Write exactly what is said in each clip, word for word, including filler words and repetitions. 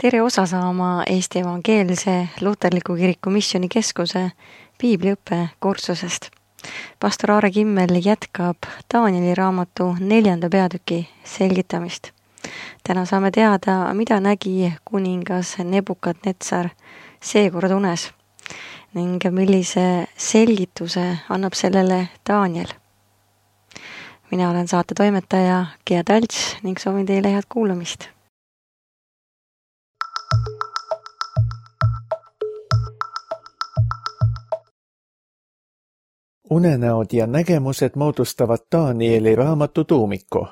tere osa saama Eesti Evangeelse Luterliku Kiriku Missioni Keskuse piibliõppe kursusest. Pastor Aare Kimmel jätkab Danieli raamatu neljanda peatüki selgitamist. Täna saame teada, mida nägi kuningas Nebukadnetsar seekord unes ning millise selgituse annab sellele Daniel. Mina olen saate toimetaja Gea Talts ning soovin teile head kuulamist. Unenäod ja nägemused moodustavad Danieli raamatu tuumiku.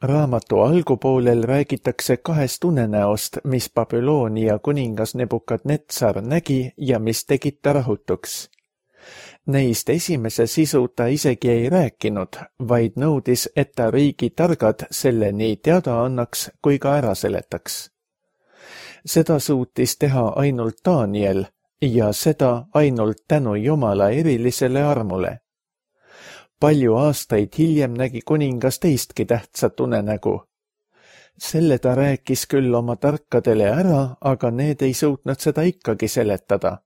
Raamatu algupoolel räägitakse kahest unenäost, mis Babyloonia kuningas Nebukadnetsar nägi ja mis tegid ta rahutuks. Neist esimese sisu ta isegi ei rääkinud, vaid nõudis, et ta riigi targad selle nii teada annaks kui ka ära seletaks. Seda suutis teha ainult Daniel ja seda ainult tänu Jumala erilisele armule. Palju aastaid hiljem nägi kuningas teistki tähtsat unenägu. Selle ta rääkis küll oma tarkadele ära, aga need ei suutnud seda ikkagi seletada.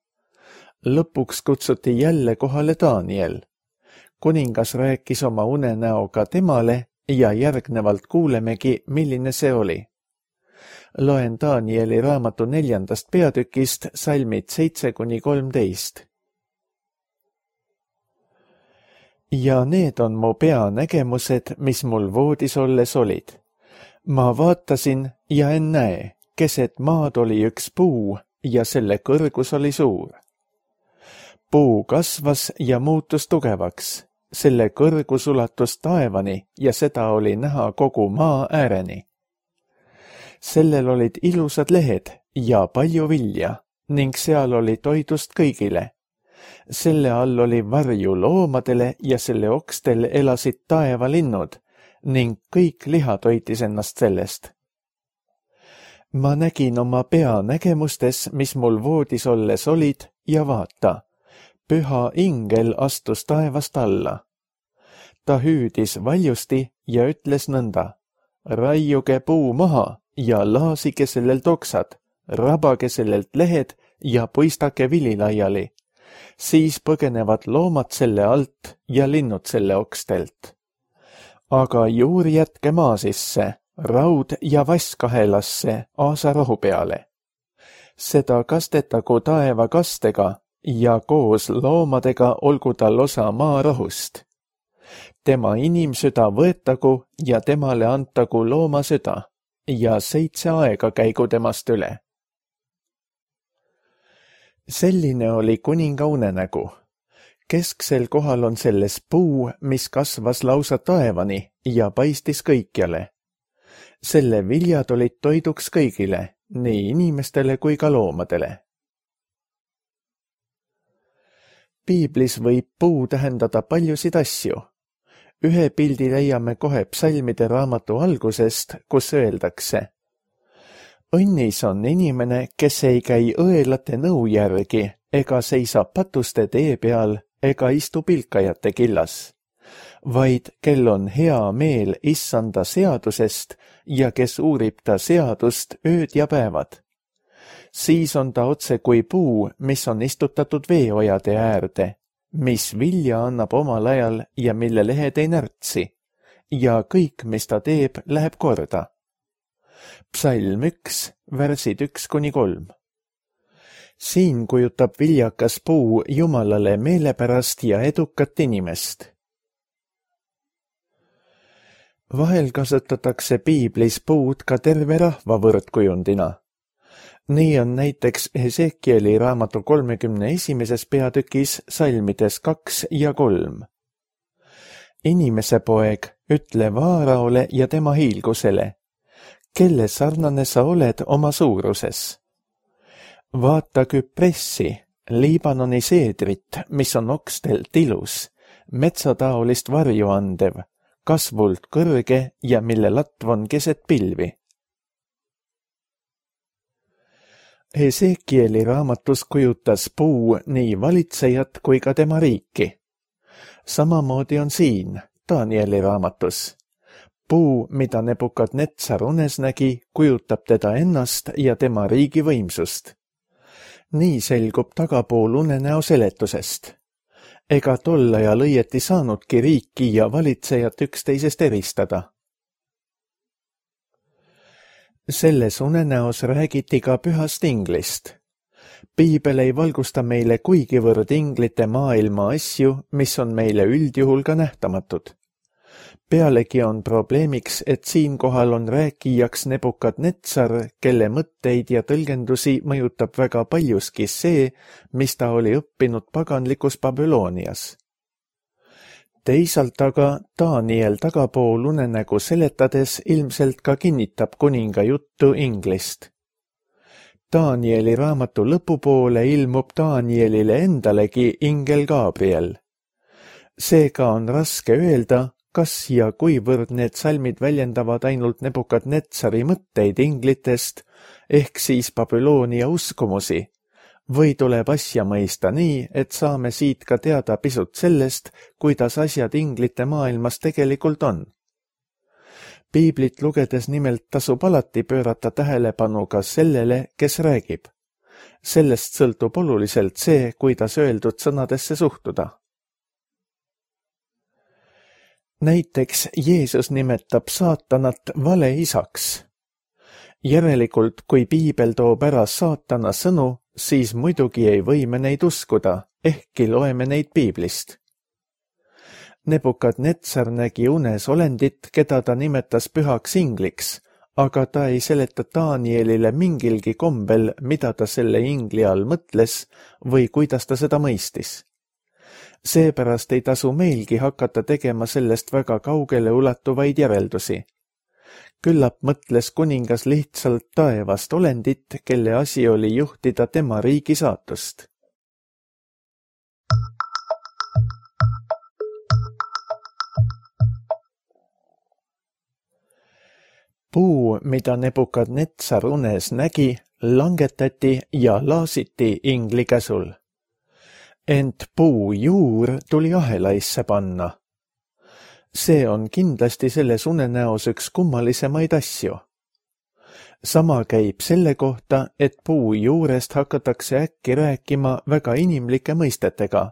Lõpuks kutsuti jälle kohale Daniel. Kuningas rääkis oma unenäoga temale ja järgnevalt kuulemegi, milline see oli. Loen Danieli raamatu neljandast peatükist salmid seitse kuni kolmteist. Ja need on mu peanägemused, mis mul voodis olles olid. Ma vaatasin ja en näe, keset maad oli üks puu ja selle kõrgus oli suur. Puu kasvas ja muutus tugevaks, selle kõrgus ulatus taevani ja seda oli näha kogu maa ääreni. Sellel olid ilusad lehed ja palju vilja ning seal oli toidust kõigile. Selle all oli varju loomadele ja selle okstel elasid taevalinnud ning kõik liha toitis ennast sellest. Ma nägin oma peanägemustes, mis mul voodis olles olid ja vaata, püha ingel astus taevast alla. Ta hüüdis valjusti ja ütles nõnda, raiuge puu maha ja laasige sellelt oksad, rabage sellelt lehed ja puistake vili laiali. Siis põgenevad loomad selle alt ja linnud selle okstelt. Aga juur jätke maa sisse, raud ja vasskahelasse aasarahu peale. Seda kastetagu taeva kastega ja koos loomadega olgu tal osa maa rahust. Tema inimsüda võetagu ja temale antagu loomasüda ja seitse aega käigu temast üle. Selline oli kuninga unenägu. Kesksel kohal on selles puu, mis kasvas lausa taevani ja paistis kõikjale. Selle viljad olid toiduks kõigile, nii inimestele kui ka loomadele. Piiblis võib puu tähendada paljusid asju. Ühe pildi leiame kohe psalmide raamatu algusest, kus öeldakse: õnnis on inimene, kes ei käi õelate nõu järgi, ega seisa patuste tee peal, ega istu pilkajate killas, vaid kel on hea meel issanda seadusest ja kes uurib ta seadust ööd ja päevad. Siis on ta otse kui puu, mis on istutatud veeojade äärde, mis vilja annab omal ajal ja mille lehed ei närtsi, ja kõik, mis ta teeb, läheb korda. Psalm üks, värsid üks kuni kolm. Siin kujutab viljakas puu Jumalale meelepärast ja edukat inimest. Vahel kasutatakse piiblis puud ka terve rahva võrdkujundina. Nii on näiteks Hesekieli raamatu kolmekümne esimeses peatükis salmides kaks ja kolm. Inimese poeg, ütle Vaaraole ja tema hiilgusele, kelle sarnane sa oled oma suuruses. Vaata Küpressi, Liibanoni seedrit, mis on okstelt ilus, metsataolist varju andev, kasvult kõrge ja mille latv on keset pilvi. Hesekieli raamatus kujutas puu nii valitsejat kui ka tema riiki. Samamoodi on siin, Danieli raamatus. Puu, mida Nebukadnetsar unes nägi, kujutab teda ennast ja tema riigi võimsust. Nii selgub tagapool unenäo seletusest. Ega tol ajal õieti saanudki riiki ja valitsejat üksteisest eristada. Selles unenäos räägiti ka pühast inglist. Piibel ei valgusta meile kuigivõrd inglite maailma asju, mis on meile üldjuhul ka nähtamatud. Pealegi on probleemiks, et siinkohal on rääkijaks Nebukadnetsar, kelle mõtteid ja tõlgendusi mõjutab väga paljuski see, mis ta oli õppinud paganlikus Babylonias. Teisalt aga Daniel tagapool unenägu seletades ilmselt ka kinnitab kuninga juttu inglist. Danieli raamatu lõpupoole ilmub Danielile endalegi ingel Gabriel. Seega on raske öelda, kas ja kuivõrd need salmid väljendavad ainult Nebukadnetsari mõtteid inglitest, ehk siis Babyloonia uskumusi, või tuleb asja mõista nii, et saame siit ka teada pisut sellest, kuidas asjad inglite maailmas tegelikult on. Piiblit lugedes nimelt tasub alati pöörata tähelepanu ka sellele, kes räägib. Sellest sõltub oluliselt see, kuidas öeldud sõnadesse suhtuda. Näiteks Jeesus nimetab saatanat valeisaks. Järelikult, kui Piibel toob ära saatana sõnu, siis muidugi ei või me neid uskuda, ehkki loeme neid Piiblist. Nebukadnetsar nägi unes olendit, keda ta nimetas pühaks ingliks, aga ta ei seleta Danielile mingilgi kombel, mida ta selle ingli all mõtles või kuidas ta seda mõistis. Seepärast ei tasu meilgi hakata tegema sellest väga kaugele ulatuvaid järeldusi. Küllap mõtles kuningas lihtsalt taevast olendit, kelle asi oli juhtida tema riigi saatust. Puu, mida Nebukadnetsar unes nägi, langetati ja laasiti ingli käsul. Ent puu juur tuli ahelaisse panna. See on kindlasti selles unenäos üks kummalisemaid asju. Sama käib selle kohta, et puu juurest hakatakse äkki rääkima väga inimlike mõistetega,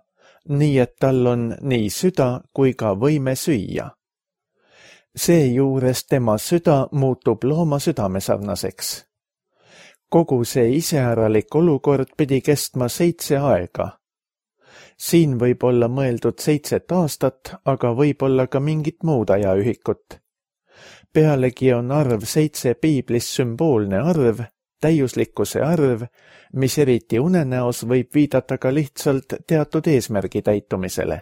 nii et tal on nii süda kui ka võime süüa. Seejuures tema süda muutub looma südamesarnaseks. Kogu see iseäralik olukord pidi kestma seitse aega. Siin võib olla mõeldud seitset aastat, aga võib olla ka mingit muud ajaühikut. Pealegi on arv seitse Piiblis sümboolne arv, täiuslikkuse arv, mis eriti unenäos võib viidata ka lihtsalt teatud eesmärgi täitumisele.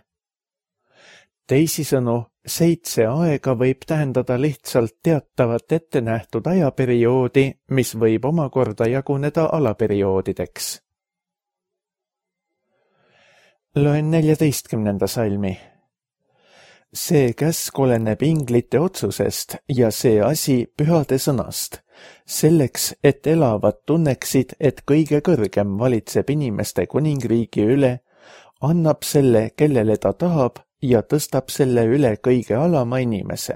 Teisisõnu, seitse aega võib tähendada lihtsalt teatavat ettenähtud ajaperioodi, mis võib omakorda jaguneda alaperioodideks. Loen neljateistkümnenda salmi. See käsk oleneb inglite otsusest ja see asi pühade sõnast, selleks, et elavad tunneksid, et kõige kõrgem valitseb inimeste kuningriigi üle, annab selle, kellele ta tahab, ja tõstab selle üle kõige alama inimese.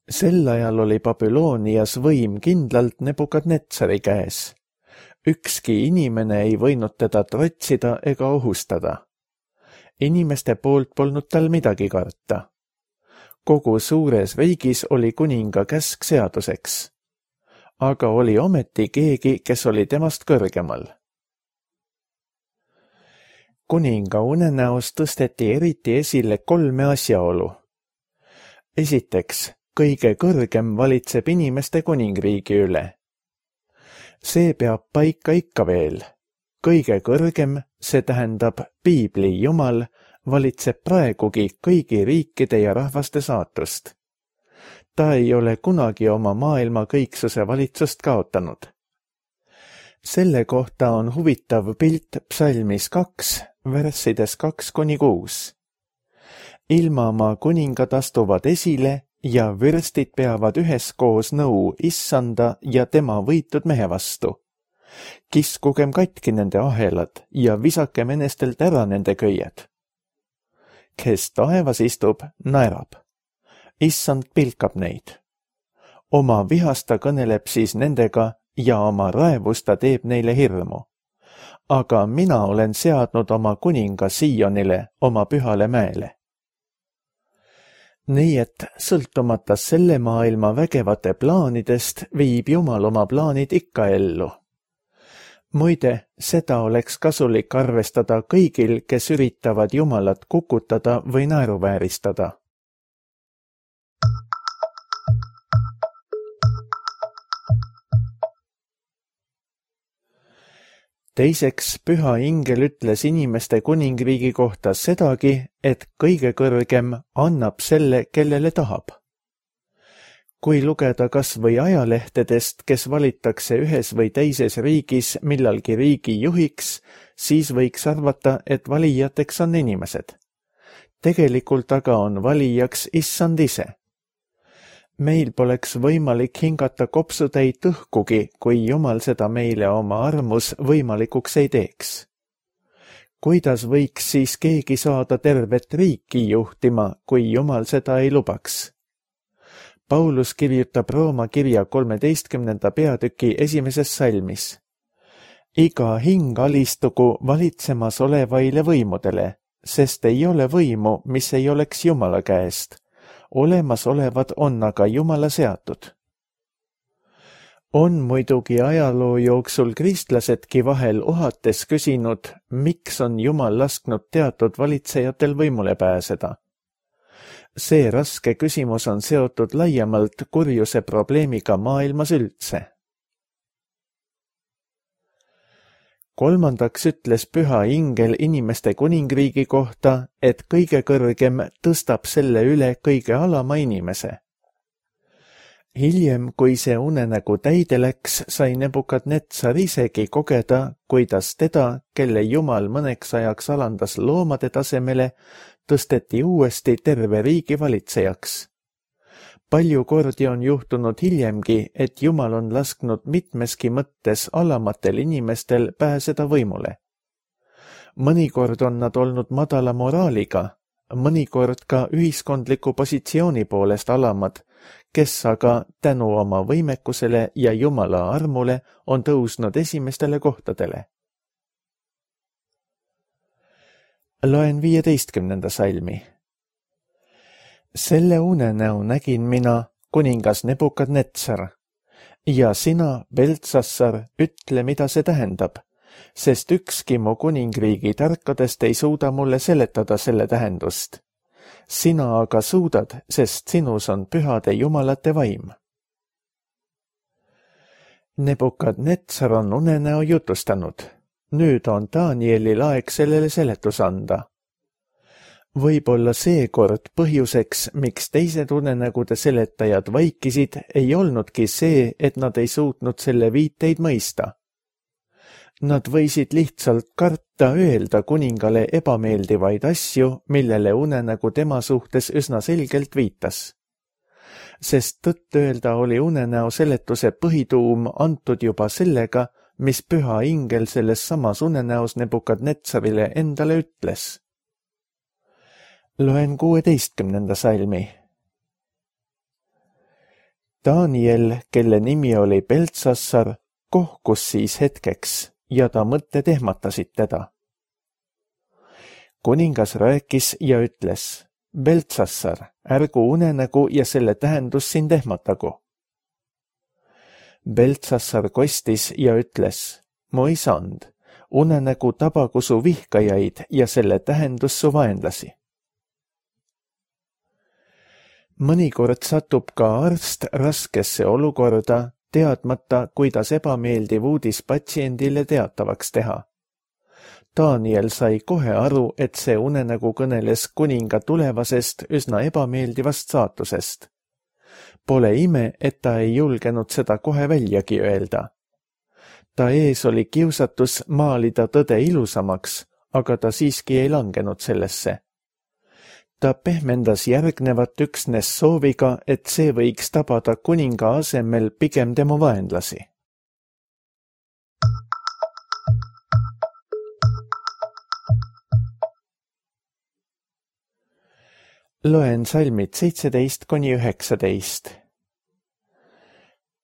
Sel ajal oli Babylonias võim kindlalt Nebukadnetsari käes. Ükski inimene ei võinud teda trotsida ega ohustada. Inimeste poolt polnud tal midagi karta. Kogu suures riigis oli kuninga käsk seaduseks. Aga oli ometi keegi, kes oli temast kõrgemal. Kuninga unenäos tõsteti eriti esile kolme asjaolu. Esiteks, kõige kõrgem valitseb inimeste kuningriigi üle. See peab paika ikka veel. Kõige kõrgem, see tähendab Piibli Jumal, valitseb praegugi kõigi riikide ja rahvaste saatust. Ta ei ole kunagi oma maailma kõiksuse valitsust kaotanud. Selle kohta on huvitav pilt psalmis kaks, verssides kaks kuni kuus. Ilmamaa kuningad astuvad esile ja vürstid peavad üheskoos nõu issanda ja tema võitud mehe vastu. Kiskugem katki nende ahelad ja visakem enestelt ära nende köied. kes taevas istub, naerab. Issand pilkab neid. Oma vihast ta kõneleb siis nendega ja oma raevust ta teeb neile hirmu. Aga mina olen seadnud oma kuninga Sionile, oma pühale mäele. Nii et sõltumata selle maailma vägevate plaanidest viib Jumal oma plaanid ikka ellu. Muide, seda oleks kasulik arvestada kõigil, kes üritavad Jumalat kukutada või naeruvääristada. Teiseks, püha ingel ütles inimeste kuningriigi kohta sedagi, et kõige kõrgem annab selle, kellele tahab. Kui lugeda kas või ajalehtedest, kes valitakse ühes või teises riigis millalgi riigi juhiks, siis võiks arvata, et valijateks on inimesed. Tegelikult aga on valijaks issand ise. Meil poleks võimalik hingata kopsutäit õhkugi, kui Jumal seda meile oma armus võimalikuks ei teeks. Kuidas võiks siis keegi saada tervet riiki juhtima, kui Jumal seda ei lubaks? Paulus kirjutab Rooma kirja kolmeteistkümnenda peatüki esimeses salmis. Iga hing alistugu valitsemas olevaile võimudele, sest ei ole võimu, mis ei oleks Jumala käest. Olemasolevad on aga Jumala seatud. On muidugi ajaloo jooksul kristlasedki vahel ohates küsinud, miks on Jumal lasknud teatud valitsejatel võimule pääseda. See raske küsimus on seotud laiemalt kurjuse probleemiga maailmas üldse. Kolmandaks ütles püha ingel inimeste kuningriigi kohta, et kõige kõrgem tõstab selle üle kõige alama inimese. Hiljem, kui see unenägu täide läks, sai Nebukadnetsar isegi kogeda, kuidas teda, kelle Jumal mõneks ajaks alandas loomade tasemele, tõsteti uuesti terve riigi valitsejaks. Palju kordi on juhtunud hiljemgi, et Jumal on lasknud mitmeski mõttes alamatel inimestel pääseda võimule. Mõnikord on nad olnud madala moraaliga, mõnikord ka ühiskondliku positsiooni poolest alamad, kes aga tänu oma võimekusele ja Jumala armule on tõusnud esimestele kohtadele. Loen viieteistkümnenda salmi. Selle unenäo nägin mina, kuningas Nebukadnetsar, ja sina, Beltsassar, ütle, mida see tähendab, sest ükski mu kuningriigi tarkadest ei suuda mulle seletada selle tähendust. Sina aga suudad, sest sinus on pühade jumalate vaim. Nebukadnetsar on unenäo jutustanud. Nüüd on Danielil aeg sellele seletus anda. Võib-olla seekord põhjuseks, miks teised unenägude seletajad vaikisid, ei olnudki see, et nad ei suutnud selle viiteid mõista. Nad võisid lihtsalt karta öelda kuningale ebameeldivaid asju, millele unenägu tema suhtes üsna selgelt viitas. Sest tõtt öelda oli unenäo seletuse põhituum antud juba sellega, mis püha ingel selles samas unenäos Nebukadnetsarile endale ütles. Loen kuueteistkümnenda salmi. Daniel, kelle nimi oli Beltsassar, kohkus siis hetkeks ja ta mõtted ehmatasid teda. Kuningas rääkis ja ütles, Beltsassar, ärgu unenägu ja selle tähendus sind ehmatagu. Beltsassar kostis ja ütles, mu isand, unenägu tabagu su vihkajaid ja selle tähendus su vaenlasi. Mõnikord satub ka arst raskesse olukorda, teadmata, kuidas ebameeldiv uudis patsiendile teatavaks teha. Daniel sai kohe aru, et see unenägu kõneles kuninga tulevasest üsna ebameeldivast saatusest. Pole ime, et ta ei julgenud seda kohe väljagi öelda. Ta ees oli kiusatus maalida tõde ilusamaks, aga ta siiski ei langenud sellesse. Ta pehmendas järgnevat üksnes sooviga, et see võiks tabada kuninga asemel pigem tema vaenlasi. Loen salmid seitseteist kuni üheksateist.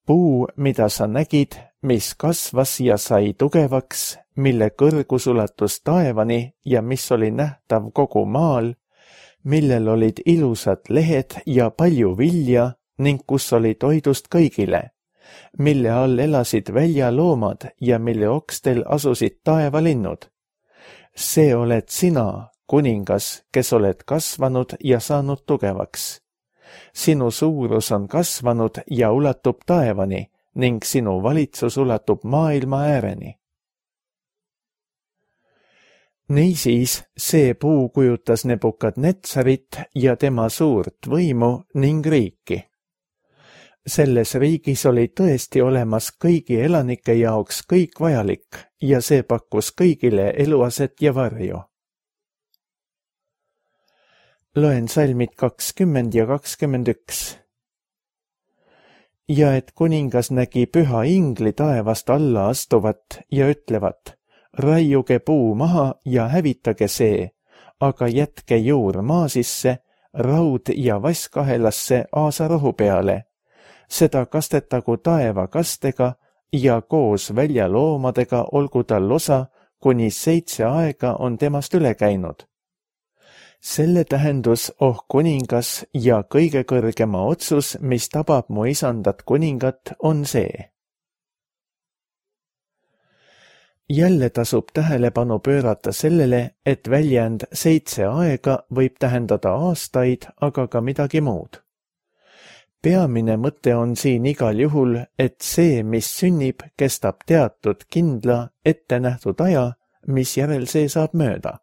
Puu, mida sa nägid, mis kasvas ja sai tugevaks, mille kõrgus ulatus taevani ja mis oli nähtav kogu maal, millel olid ilusad lehed ja palju vilja ning kus oli toidust kõigile, mille all elasid väljaloomad ja mille okstel asusid taevalinnud. See oled sina, kuningas, kes oled kasvanud ja saanud tugevaks. Sinu suurus on kasvanud ja ulatub taevani ning sinu valitsus ulatub maailma ääreni. Niisiis see puu kujutas Nebukadnetsarit ja tema suurt võimu ning riiki. Selles riigis oli tõesti olemas kõigi elanike jaoks kõik vajalik ja see pakkus kõigile eluaset ja varju. Loen salmid kakskümmend ja kakskümmend üks. Ja et kuningas nägi püha ingli taevast alla astuvat ja ütlevat, raiuge puu maha ja hävitage see, aga jätke juur maa sisse, raud ja vasskahelasse aasarohu peale. Seda kastetagu taeva kastega ja koos väljaloomadega olgu tal osa, kuni seitse aega on temast üle käinud. Selle tähendus, oh kuningas ja kõige kõrgema otsus, mis tabab mu isandat kuningat, on see. Jälle tasub tähelepanu pöörata sellele, et väljend seitse aega võib tähendada aastaid, aga ka midagi muud. Peamine mõte on siin igal juhul, et see, mis sünnib, kestab teatud kindla, ette nähtud aja, mis järel see saab mööda.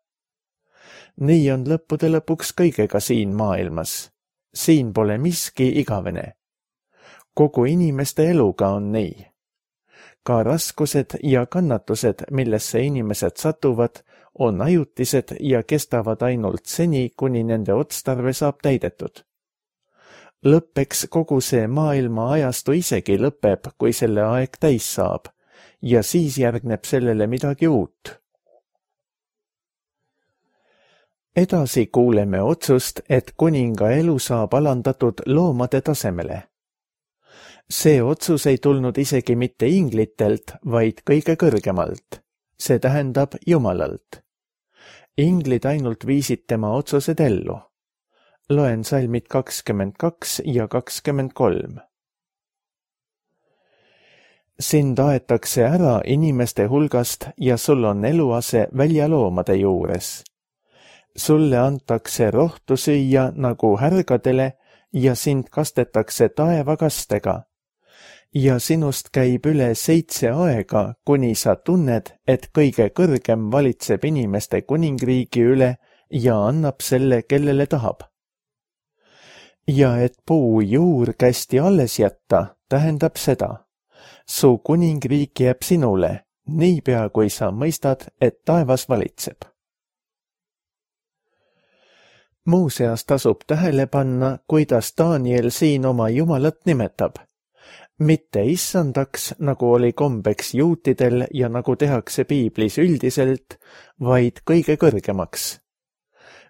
Nii on lõppude lõpuks kõigega siin maailmas. Siin pole miski igavene. Kogu inimeste eluga on nii. Ka raskused ja kannatused, millesse inimesed satuvad, on ajutised ja kestavad ainult seni, kuni nende otstarve saab täidetud. Lõppeks kogu see maailma ajastu isegi lõpeb, kui selle aeg täis saab, ja siis järgneb sellele midagi uut. Edasi kuuleme otsust, et kuninga elu saab alandatud loomade tasemele. See otsus ei tulnud isegi mitte inglitelt, vaid kõige kõrgemalt. See tähendab Jumalalt. Inglid ainult viisid tema otsused ellu. Loen salmid kakskümmend kaks ja kakskümmend kolm. Sind aetakse ära inimeste hulgast ja sul on eluase väljaloomade juures. Sulle antakse rohtu süüa nagu härgadele ja sind kastetakse taevakastega. Ja sinust käib üle seitse aega, kuni sa tunned, et kõige kõrgem valitseb inimeste kuningriigi üle ja annab selle, kellele tahab. Ja et puu juur kästi alles jätta, tähendab seda. Su kuningriik jääb sinule, niipea kui sa mõistad, et taevas valitseb. Muuseas tasub tähele panna, kuidas Daniel siin oma Jumalat nimetab. Mitte issandaks, nagu oli kombeks juutidel ja nagu tehakse piiblis üldiselt, vaid kõige kõrgemaks.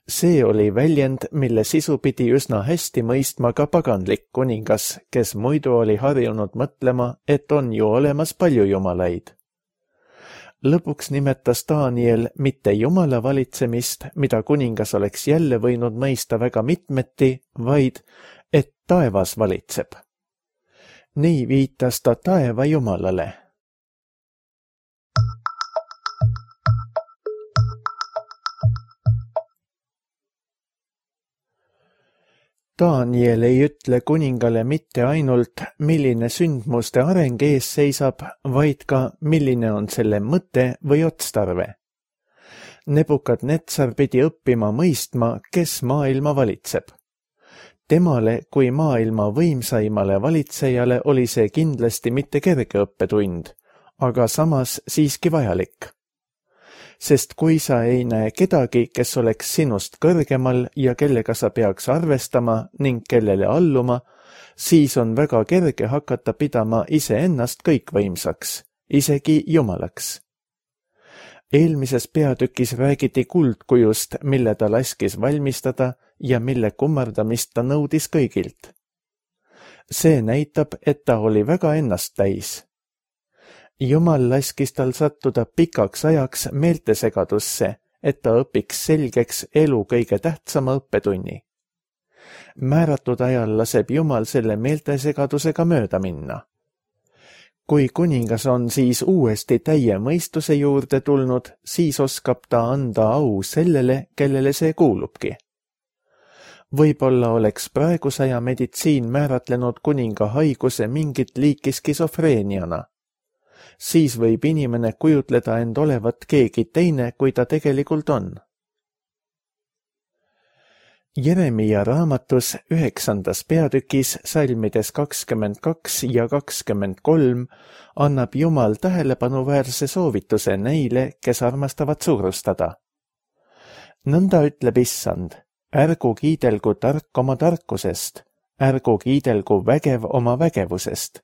See oli väljend, mille sisu pidi üsna hästi mõistma ka paganlik kuningas, kes muidu oli harjunud mõtlema, et on ju olemas palju jumalaid. Lõpuks nimetas Daniel mitte Jumala valitsemist, mida kuningas oleks jälle võinud mõista väga mitmeti, vaid et taevas valitseb. Nii viitas ta taeva Jumalale. Daniel ei ütle kuningale mitte ainult, milline sündmuste areng ees seisab, vaid ka, milline on selle mõte või otstarve. Nebukadnetsar pidi õppima mõistma, kes maailma valitseb. Temale kui maailma võimsaimale valitsejale oli see kindlasti mitte kerge õppetund, aga samas siiski vajalik. Sest kui sa ei näe kedagi, kes oleks sinust kõrgemal ja kellega sa peaks arvestama ning kellele alluma, siis on väga kerge hakata pidama iseennast kõikvõimsaks, isegi Jumalaks. Eelmises peatükis räägiti kuldkujust, mille ta laskis valmistada ja mille kummardamist ta nõudis kõigilt. See näitab, et ta oli väga ennast täis. Jumal laskis tal sattuda pikaks ajaks meeltesegadusse, et ta õpiks selgeks elu kõige tähtsama õppetunni. Määratud ajal laseb Jumal selle meeltesegadusega mööda minna. Kui kuningas on siis uuesti täie mõistuse juurde tulnud, siis oskab ta anda au sellele, kellele see kuulubki. Võib-olla oleks praegusaja meditsiin määratlenud kuninga haiguse mingit liiki skisofreeniana. Siis võib inimene kujutleda end olevat keegi teine, kui ta tegelikult on. Jeremia raamatus üheksandas peatükis salmides kakskümmend kaks ja kakskümmend kolm annab Jumal tähelepanuväärse soovituse neile, kes armastavad suurustada. Nõnda ütleb Issand, ärgu kiidelgu tark oma tarkusest, ärgu kiidelgu vägev oma vägevusest,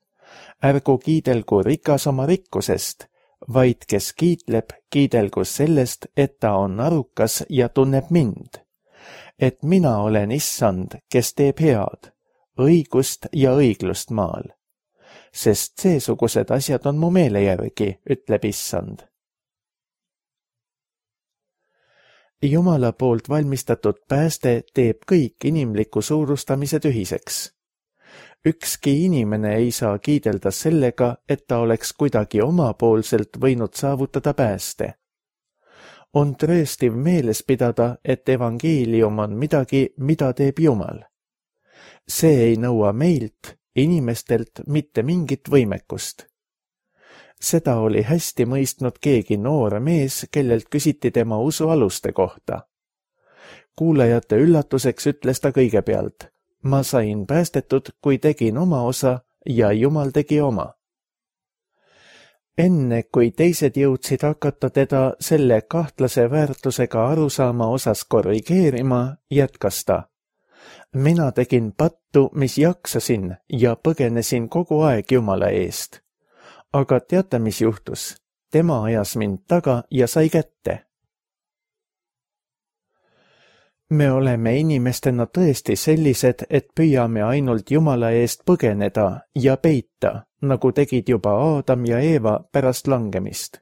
ärgu kiidelgu rikas oma rikkusest, vaid kes kiitleb, kiidelgu sellest, et ta on arukas ja tunneb mind. Et mina olen Issand, kes teeb head, õigust ja õiglust maal. Sest seesugused asjad on mu meele järgi, ütleb Issand. Jumala poolt valmistatud pääste teeb kõik inimliku suurustamise tühiseks. Ükski inimene ei saa kiidelda sellega, et ta oleks kuidagi omapoolselt võinud saavutada pääste. On trööstiv meeles pidada, et evangeelium on midagi, mida teeb Jumal. See ei nõua meilt, inimestelt, mitte mingit võimekust. Seda oli hästi mõistnud keegi noor mees, kellelt küsiti tema usu aluste kohta. Kuulajate üllatuseks ütles ta kõigepealt, ma sain päästetud, kui tegin oma osa ja Jumal tegi oma. Enne, kui teised jõudsid hakata teda selle kahtlase väärtusega arusaama osas korrigeerima, jätkas ta. Mina tegin pattu, mis jaksasin ja põgenesin kogu aeg Jumala eest. Aga teate, mis juhtus? Tema ajas mind taga ja sai kätte. Me oleme inimestena tõesti sellised, et püüame ainult Jumala eest põgeneda ja peita, nagu tegid juba Aadam ja Eeva pärast langemist.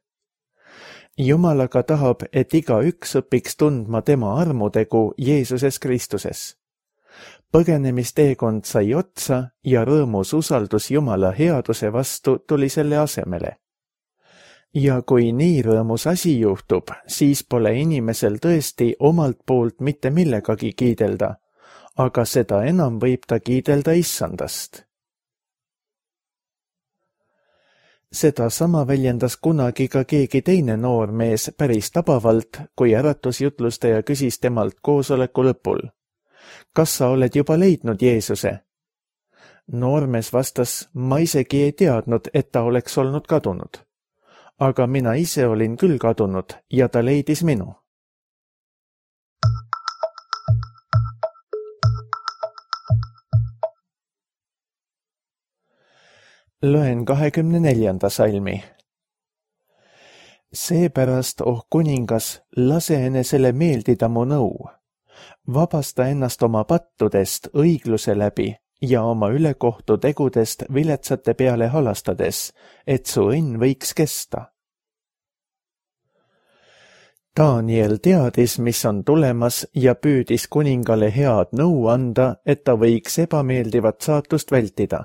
Jumal aga tahab, et igaüks õpiks tundma tema armutegu Jeesuses Kristuses. Põgenemisteekond sai otsa ja rõõmus usaldus Jumala headuse vastu tuli selle asemele. Ja kui nii rõõmus asi juhtub, siis pole inimesel tõesti omalt poolt mitte millegagi kiidelda, aga seda enam võib ta kiidelda Issandast. Seda sama väljendas kunagi ka keegi teine noormees päris tabavalt, kui äratusjutlustaja küsis temalt koosoleku lõpul. Kas sa oled juba leidnud Jeesuse? Noormees vastas, ma isegi ei teadnud, et ta oleks olnud kadunud. Aga mina ise olin küll kadunud ja ta leidis minu. Loen kahekümne neljanda salmi. Seepärast, oh kuningas, lase enesele meeldida mu nõu. Vabasta ennast oma pattudest õigluse läbi ja oma ülekohtu tegudest viletsate peale halastades, et su õnn võiks kesta. Daniel teadis, mis on tulemas ja püüdis kuningale head nõu anda, et ta võiks ebameeldivat saatust vältida.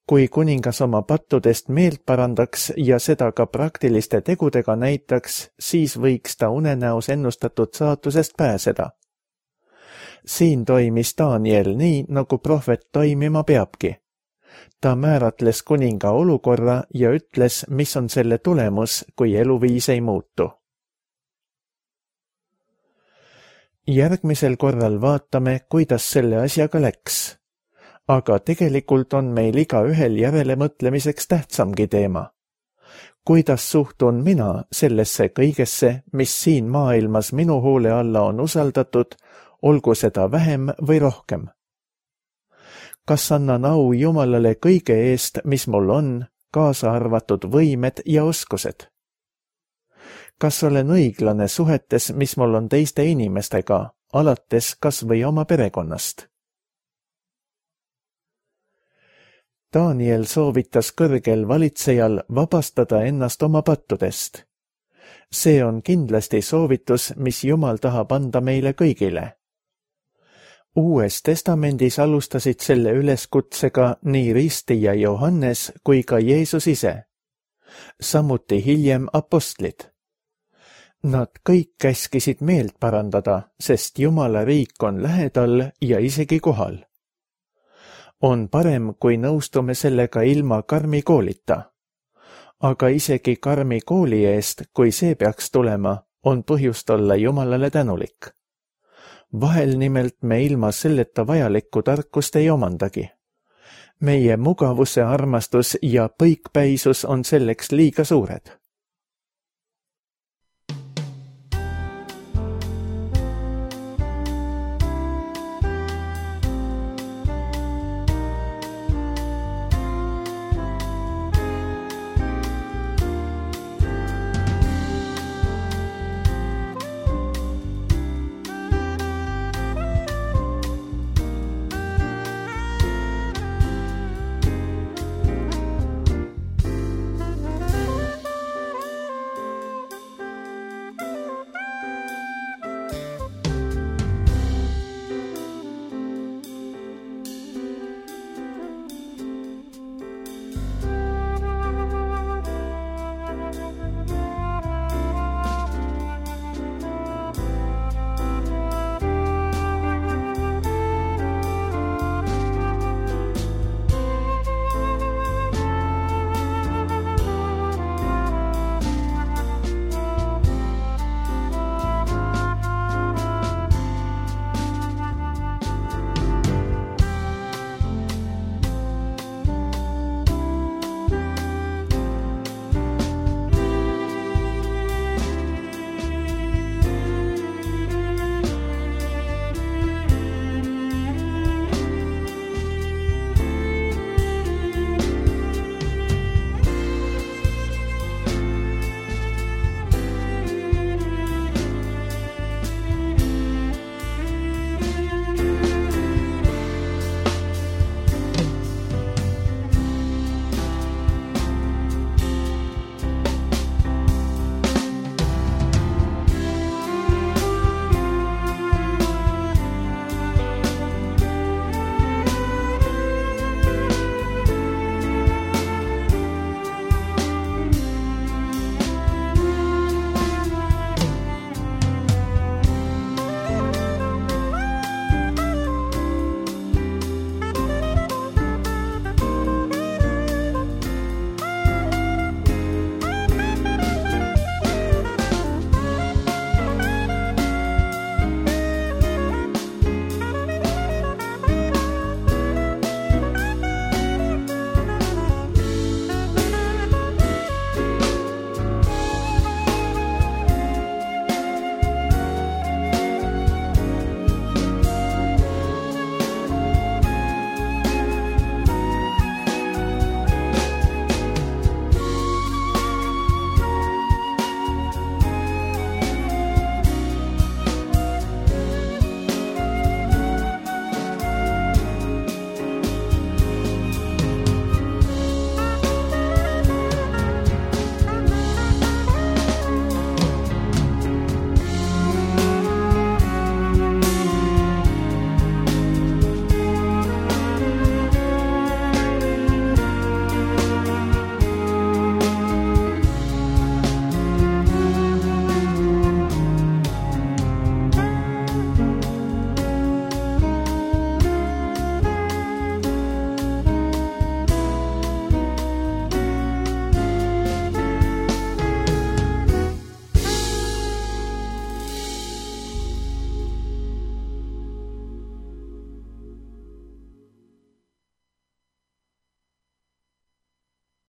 Kui kuningas oma pattudest meelt parandaks ja seda ka praktiliste tegudega näitaks, siis võiks ta unenäos ennustatud saatusest pääseda. Siin toimis Daniel nii, nagu prohvet toimima peabki. Ta määratles kuninga olukorra ja ütles, mis on selle tulemus, kui eluviis ei muutu. Järgmisel korral vaatame, kuidas selle asjaga läks. Aga tegelikult on meil igaühel järelemõtlemiseks tähtsamgi teema. Kuidas suhtun mina sellesse kõigesse, mis siin maailmas minu hoole alla on usaldatud, olgu seda vähem või rohkem? Kas annan au Jumalale kõige eest, mis mul on, kaasa arvatud võimed ja oskused? Kas olen õiglane suhetes, mis mul on teiste inimestega, alates kas või oma perekonnast. Daniel soovitas kõrgel valitsejal vabastada ennast oma pattudest. See on kindlasti soovitus, mis Jumal tahab anda meile kõigile. Uues testamendis alustasid selle üleskutsega nii ristija Johannes kui ka Jeesus ise, samuti hiljem apostlid. Nad kõik käskisid meelt parandada, sest Jumala riik on lähedal ja isegi kohal. On parem, kui nõustume sellega ilma karmi koolita. Aga isegi karmi kooli eest, kui see peaks tulema, on põhjust olla Jumalale tänulik. Vahel nimelt me ilma selleta vajalikku tarkust ei omandagi. Meie mugavuse armastus ja põikpäisus on selleks liiga suured.